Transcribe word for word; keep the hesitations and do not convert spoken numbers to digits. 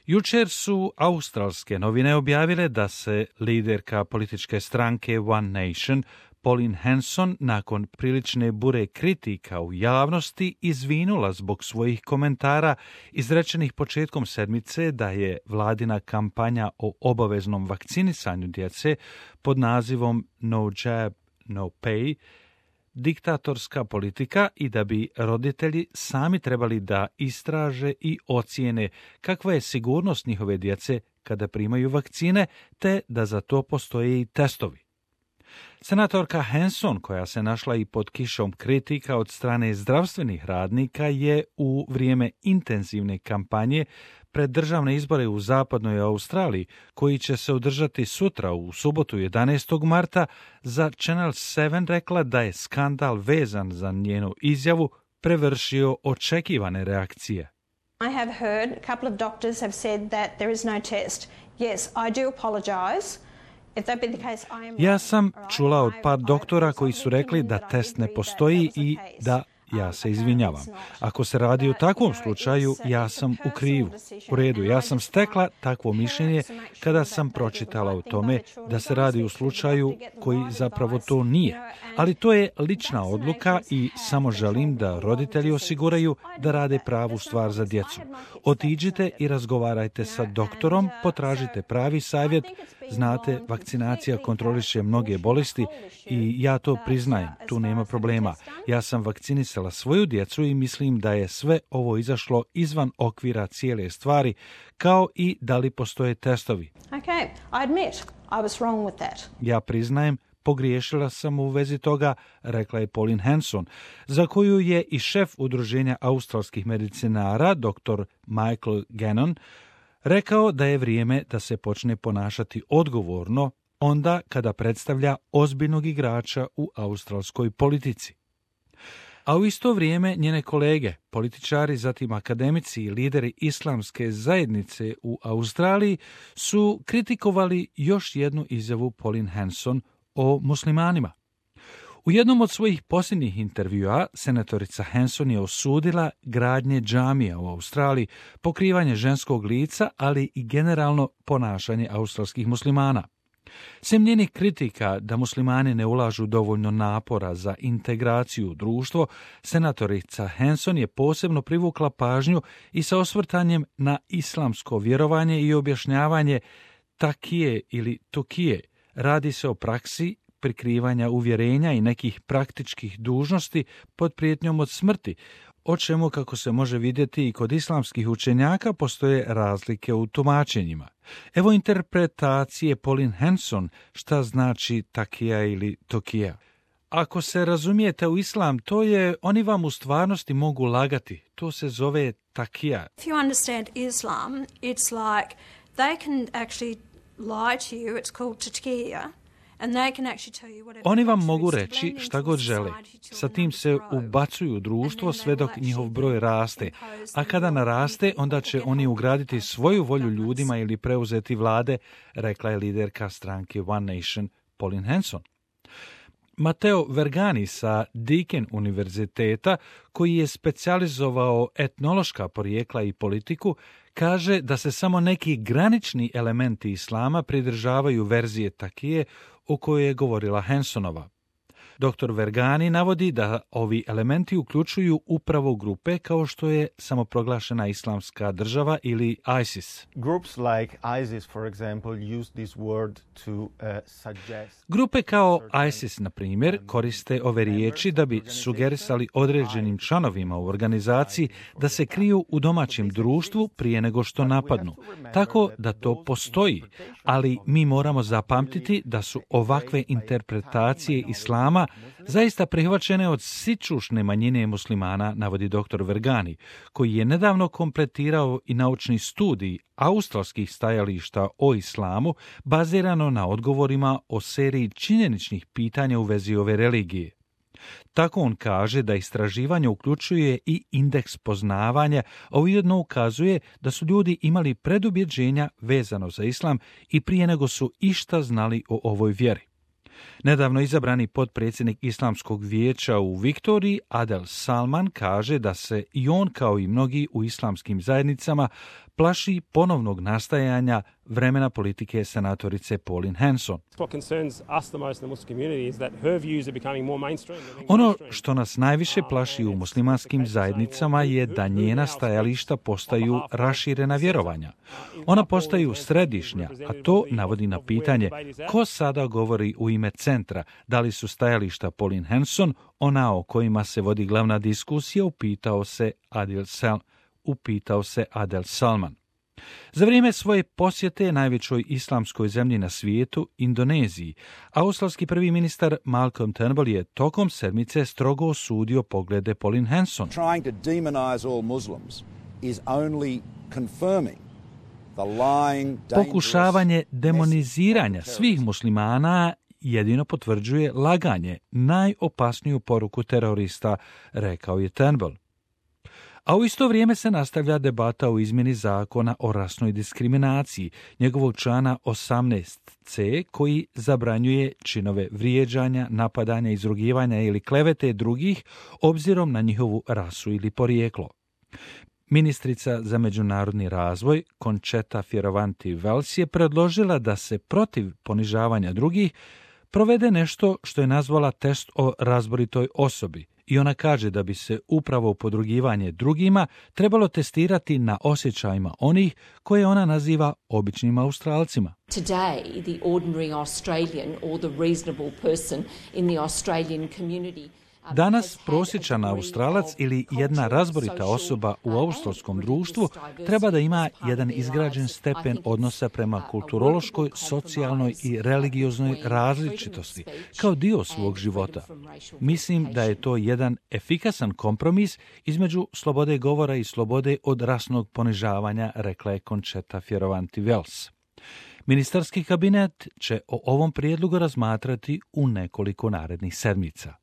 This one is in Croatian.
Jučer su australske novine objavile da se liderka političke stranke One Nation, Pauline Hanson, nakon prilične bure kritika u javnosti izvinula zbog svojih komentara izrečenih početkom sedmice da je vladina kampanja o obaveznom vakcinisanju djece pod nazivom No Jab, No Pay diktatorska politika i da bi roditelji sami trebali da istraže i ocijene kakva je sigurnost njihove djece kada primaju vakcine, te da za to postoje i testovi. Senatorka Hanson, koja se našla i pod kišom kritika od strane zdravstvenih radnika, je u vrijeme intenzivne kampanje pred državne izbore u zapadnoj Australiji, koji će se održati sutra u subotu jedanaestog marta, za Channel sedam rekla da je skandal vezan za njenu izjavu prevršio očekivane reakcije. I have heard a couple of doctors have said that there is no test. Yes, I do apologize. Ja sam čula od par doktora koji su rekli da test ne postoji i da ja se izvinjavam. Ako se radi o takvom slučaju, ja sam u krivu. U redu, ja sam stekla takvo mišljenje kada sam pročitala o tome da se radi o slučaju koji zapravo to nije. Ali to je lična odluka i samo želim da roditelji osiguraju da rade pravu stvar za djecu. Otiđite i razgovarajte sa doktorom, potražite pravi savjet. Znate, vakcinacija kontroliše mnoge bolesti i ja to priznajem, tu nema problema. Ja sam vakcinisala svoju djecu i mislim da je sve ovo izašlo izvan okvira cijele stvari, kao i da li postoje testovi. Okay, I admit, I was wrong with that. Ja priznajem, pogriješila sam u vezi toga, rekla je Pauline Hanson, za koju je i šef udruženja australskih medicinara, doktor Michael Gannon, rekao da je vrijeme da se počne ponašati odgovorno onda kada predstavlja ozbiljnog igrača u australskoj politici. A u isto vrijeme njene kolege, političari, zatim akademici i lideri islamske zajednice u Australiji su kritikovali još jednu izjavu Pauline Hanson o muslimanima. U jednom od svojih posljednjih intervjua senatorica Hanson je osudila gradnje džamija u Australiji, pokrivanje ženskog lica, ali i generalno ponašanje australskih muslimana. Sem njenih kritika da muslimani ne ulažu dovoljno napora za integraciju u društvo, senatorica Hanson je posebno privukla pažnju i sa osvrtanjem na islamsko vjerovanje i objašnjavanje takije ili tokije. Radi se o praksi prikrivanja uvjerenja i nekih praktičkih dužnosti pod prijetnjom od smrti, o čemu, kako se može vidjeti i kod islamskih učenjaka, postoje razlike u tumačenjima. Evo interpretacije Pauline Hanson šta znači takija ili tokija. Ako se razumijete u islam, to je, oni vam u stvarnosti mogu lagati. To se zove takija. If you understand Islam, it's like they can actually lie to you. It's called takija. Oni vam mogu reći šta god žele. Sa tim se ubacuju u društvo sve dok njihov broj raste, a kada naraste, onda će oni ugraditi svoju volju ljudima ili preuzeti vlade, rekla je liderka stranke One Nation, Pauline Hanson. Matteo Vergani sa Deakin univerziteta, koji je specijalizovao etnološka porijekla i politiku, kaže da se samo neki granični elementi islama pridržavaju verzije takije o kojoj je govorila Hansonova. Doktor Vergani navodi da ovi elementi uključuju upravo grupe kao što je samoproglašena islamska država ili ISIS. Groups like ISIS, for example, use this word to uh, suggest... Grupe kao ISIS, na primjer, koriste ove riječi da bi sugerisali određenim članovima u organizaciji da se kriju u domaćem društvu prije nego što napadnu. Tako da to postoji, ali mi moramo zapamtiti da su ovakve interpretacije islama zaista prihvaćene od sičušne manjine muslimana, navodi doktor Vergani, koji je nedavno kompletirao i naučni studij australskih stajališta o islamu bazirano na odgovorima o seriji činjeničnih pitanja u vezi ove religije. Tako on kaže da istraživanje uključuje i indeks poznavanja, a ujedno ukazuje da su ljudi imali predubjeđenja vezano za islam i prije nego su išta znali o ovoj vjeri. Nedavno izabrani potpredsjednik Islamskog vijeća u Viktoriji, Adel Salman, kaže da se i on, kao i mnogi u islamskim zajednicama, plaši ponovnog nastajanja vremena politike senatorice Pauline Hanson. Ono što nas najviše plaši u muslimanskim zajednicama je da njena stajališta postaju raširena vjerovanja. Ona postaju središnja, a to navodi na pitanje ko sada govori u ime centra, da li su stajališta Pauline Hanson ona o kojima se vodi glavna diskusija, upitao se Adil Sel, upitao se Adel Salman. Za vrijeme svoje posjete najvećoj islamskoj zemlji na svijetu, Indoneziji, australski prvi ministar Malcolm Turnbull je tokom sedmice strogo osudio poglede Pauline Hanson. Trying to demonize all Muslims is only confirming the lying, dangerous Pokušavanje demoniziranja svih muslimana jedino potvrđuje laganje, najopasniju poruku terorista, rekao je Turnbull. A u isto vrijeme se nastavlja debata o izmjeni zakona o rasnoj diskriminaciji, njegovog člana osamnaest ce, koji zabranjuje činove vrijeđanja, napadanja, izrugivanja ili klevete drugih obzirom na njihovu rasu ili porijeklo. Ministrica za međunarodni razvoj Concetta Fierravanti-Wells je predložila da se protiv ponižavanja drugih provede nešto što je nazvala test o razboritoj osobi. I ona kaže da bi se upravo podrugivanje drugima trebalo testirati na osjećajima onih koje ona naziva običnim Australcima. Today, the ordinary Australian or the reasonable person in the Australian community. Danas prosječan Australac ili jedna razborita osoba u australskom društvu treba da ima jedan izgrađen stepen odnosa prema kulturološkoj, socijalnoj i religioznoj različitosti kao dio svog života. Mislim da je to jedan efikasan kompromis između slobode govora i slobode od rasnog ponižavanja, rekla je Concetta Fierravanti-Wells. Ministarski kabinet će o ovom prijedlogu razmatrati u nekoliko narednih sedmica.